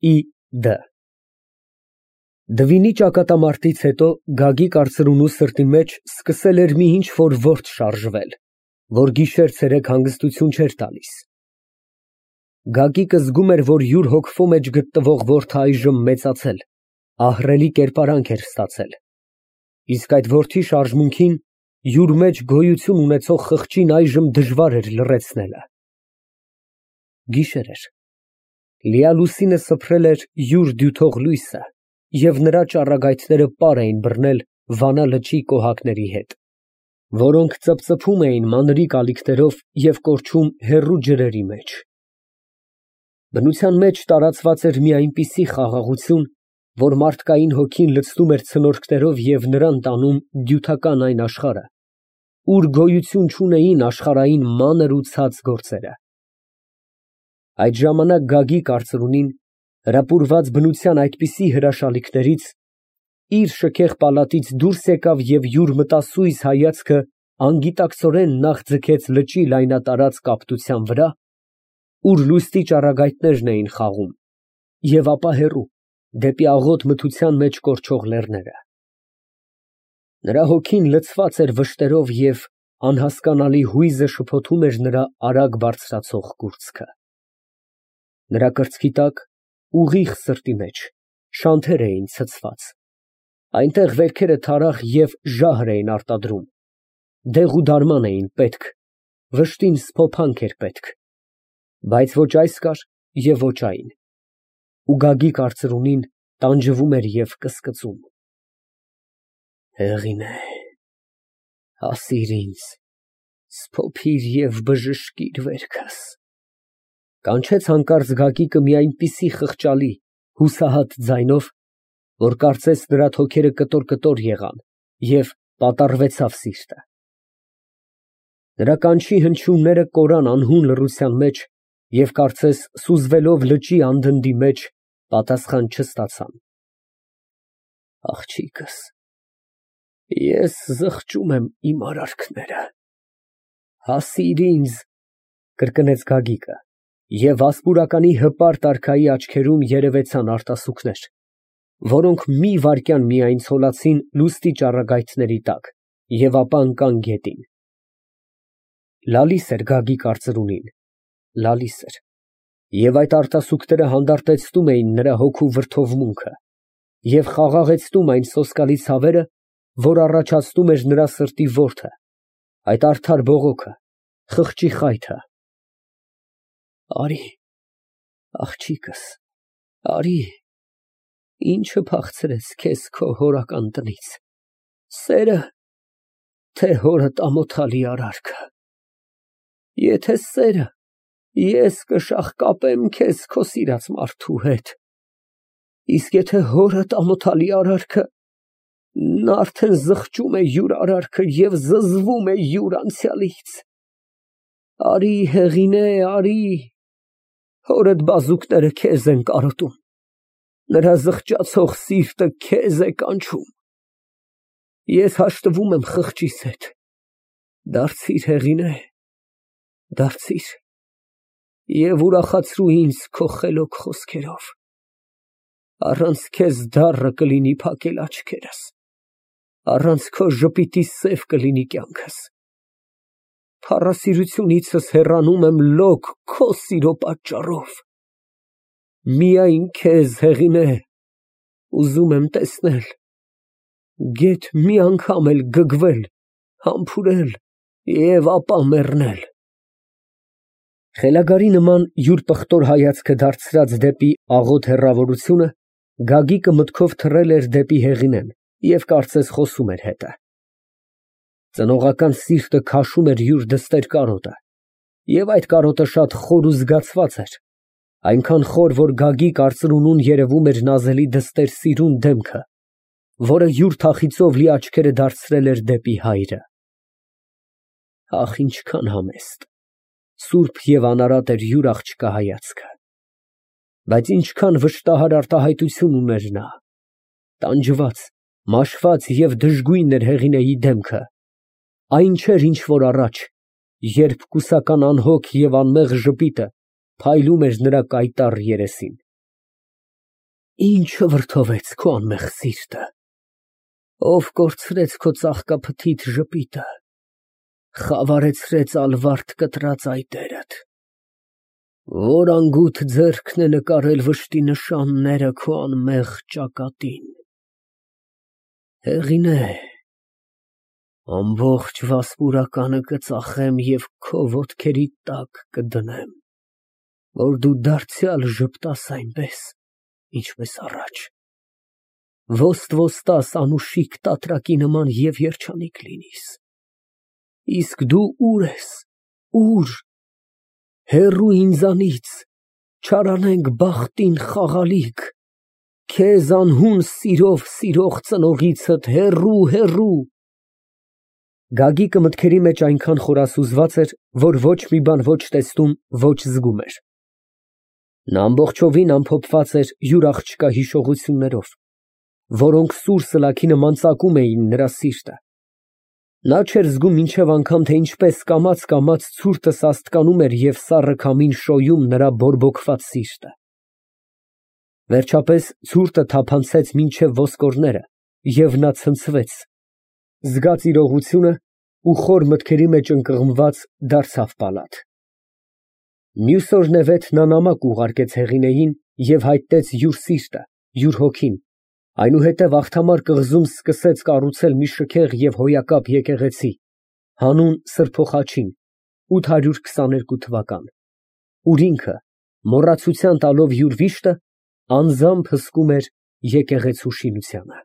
Ի.Դ. Դվինի ճակատամարտից հետո Գագիկ արծրունու սրտի մեջ սկսել էր մի ինչ֊որ որդ շարժվել, որ գիշեր֊ցերեկ հանգստություն չէր տալիս։ Գագիկը զգում էր, որ յուր հոգվո մեջ գտնվող որդը այժմ մեծացել, ահռելի կերպարանք էր ստացել, իսկ այդ որդի շարժմունքին յուր մեջ գոյություն ունեցող խղճին այժմ դժվար էր լռեցնելը։ Գիշեր էր, լիալուսինը սփռել էր յուր դյութող լույսը և նրա ճառագայթները պար էին բռնել Վանա լճի կոհակների հետ, որոնք ծպծփում էին մանրիկ ալիքներով և կորչում հեռու ջրերի մեջ։ Բնության մեջ տարածված էր մի այնպիսի խաղաղություն, որ մարդկային հոգին լցնում էր ցնորքներով և նրան տանում դյութական այն աշխարհը, ուր գոյություն չունեին աշխարհային մանր ու ցած գործերը։ Այդ ժամանակ Գագիկ արծրունին, հրապուրված բնության այդպիսի հրաշալիքներից, իր շքեղ պալատից դուրս եկավ և յուր մտասույզ հայացքը անգիտակցորեն նախ ձգեց լճի լայնատարած կապտության վրա, ուր լուսնի ճառագայթներն էին խաղում, և ապա հեռու, դեպի աղոտ մթության մեջ կորչող լեռները։ Նրա հոգին լցված էր վշտերով և անհասկանալի հույզը շփոթում էր նրա արագ բարձրացող կուրծքը։ Նրա կրծքի տակ, ուղիղ սրտի մեջ, շանթեր էին ցցված, այնտեղ վերքերը թարախ և ժահր էին արտադրում, դեղուդարման էին պետք, վշտին սփոփանք էր պետք, բայց ոչ այս կար և ոչ այն, ու Գագիկ արծրունին տանջվում էր և կսկծում։ Հեղինե, հասիր ինձ, սփոփիր և բժշկիր վերքս, կանչեց հանկարծ Գագիկը մի այնպիսի խղճալի, հուսահատ ձայնով, որ կարծես նրա թոքերը կտոր եղան և պատառվեցավ սիրտը։ Նրա կանչի հնչյունները կորան անհուն լռության մեջ և կարծես սուզվելով լճի անդնդի մեջ, պատասխան չստացան։ Աղջիկս, ես զղջում եմ իմ արարքները, հասիր ինձ, կրկնեց Գագիկը, և վասպուրականի հպարտ արքայի աչքերում երևեցան արտասուքներ, որոնք մի վայրկյան միայն ցոլացին լուսնի ճառագայթների տակ և ապա ընկան գետին։ Լալիս էր Գագիկ արծրունին, լալիս էր, և այդ արտասուքները հանդարտեցնում էին նրա հոգու վրդովմունքը և խաղաղեցնում այն սոսկալի ցավերը, որ առաջացնում էր նրա սրտի որդը, այդ արդար բողոքը, խղճի խայթը։ Արի, աղջիկս, արի, ինչը փախցրեց քեզ քո հորական տնից, սե՞րը, թե հորդ ամոթալի արարքը։ Եթե սերը, ես կշաղկապեմ քեզ քո սիրած մարդու հետ, իսկ եթե հորդ ամոթալի արարքը, նա արդեն զղջում է յուր արարքը և զզվում է յուր անցյալից։ Արի, Հեղինե, արի, հորդ բազուկները քեզ են կարոտում, նրա զղջացող սիրտը քեզ է կանչում։ Ես հաշտվում եմ խղճիս հետ, դարձիր, Հեղինե, դարձիր և ուրախացրու ինձ քո խելոք խոսքերով, առանց քեզ դառը կլինի փակել աչքերս, առանց քո ժպիտի սև կլինի կյանքս, փառասիրությունիցս հեռանում եմ լոկ քո սիրո պատճառով, միայն քեզ, Հեղինե, ուզում եմ տեսնել, գեթ մի անգամ էլ գգվել, համբուրել և ապա մեռնել։ Խելագարի նման յուր պղտոր հայացքը դարձրած դեպի աղոտ հեռավորությունը, Գագիկը մտքով թռել էր դեպի Հեղինեն և կարծես խոսում էր հետը։ Ծնողական սիրտը քաշում էր յուր դստեր կարոտը, և այդ կարոտը շատ խոր ու զգացված էր, այնքան խոր, որ Գագիկ արծրունուն երևում էր նազելի դստեր սիրուն դեմքը, որը յուր թախիծով լի աչքերը դարձրել էր դեպի հայրը։ Ահ, ինչքան համեստ, սուրբ և անարատ էր յուր աղջկա հայացքը, բայց ինչքան վշտահար արտահայտություն ուներ նա, տանջված, մաշված և դժգույն էր Հեղինեի դեմքը, այն չէր, ինչ որ առաջ, երբ կուսական անհոգ և անմեղ ժպիտը փայլում էր նրա կայտառ երեսին։ Ինչը վրդովեց քո անմեղ սիրտը, ով կորցրեց քո ծաղկափթիթ ժպիտը, խավարեցրեց ալվարդ կտրած այտերդ, որ անգութ ձեռքն է նկարել վշտի նշանները քո անմեղ ճակատին։ Հեղինե, ամբողջ վասպուրականը կծախեմ և քո ոտքերի տակ կդնեմ, որ դու դարձյալ ժպտաս այնպես, ինչպես առաջ, ոստ-ոստաս անուշիկ տատրակի նման և երջանիկ լինիս։ Իսկ դու ուր ես, ուր, հեռու ինձանից, չարանենգ բախտին խաղալիք, քեզ անհուն սիրով սիրող ծնողիցդ հեռու, հեռու։ Գագիկը մտքերի մեջ այնքան խորասուզված էր, որ ոչ մի բան ոչ տեսնում, ոչ զգում էր։ Նա ամբողջովին ամփոփված էր յուր աղջկա հիշողություններով, որոնք սուր սլաքի նման ծակում էին նրա սիրտը։ Նա չէր զգում մինչև անգամ, թե ինչպես կամաց ցուրտը սաստկանում էր և սառը քամին շոյում նրա բորբոքված սիրտը։ Վերջապես ցուրտը թափանցեց մինչև ոսկորները, և նա ցնցվեց, զգաց իրողությունը ու խոր մտքերի մեջ ընկղմված դարձավ պալատ։ Մյուս օրն նա նամակ ուղարկեց Հեղինեին և հայտնեց յուր սիրտը, յուր հոգին, այնուհետև աղթամար կղզում սկսեց կառուցել մի շքեղ և հոյակապ եկեղեցի, հանուն Սրբոխաչին, 822 թվական, ուր ինքը, մոռացության տալով յուր վիշտը, անձամբ հսկում էր եկեղեցու շինությանը։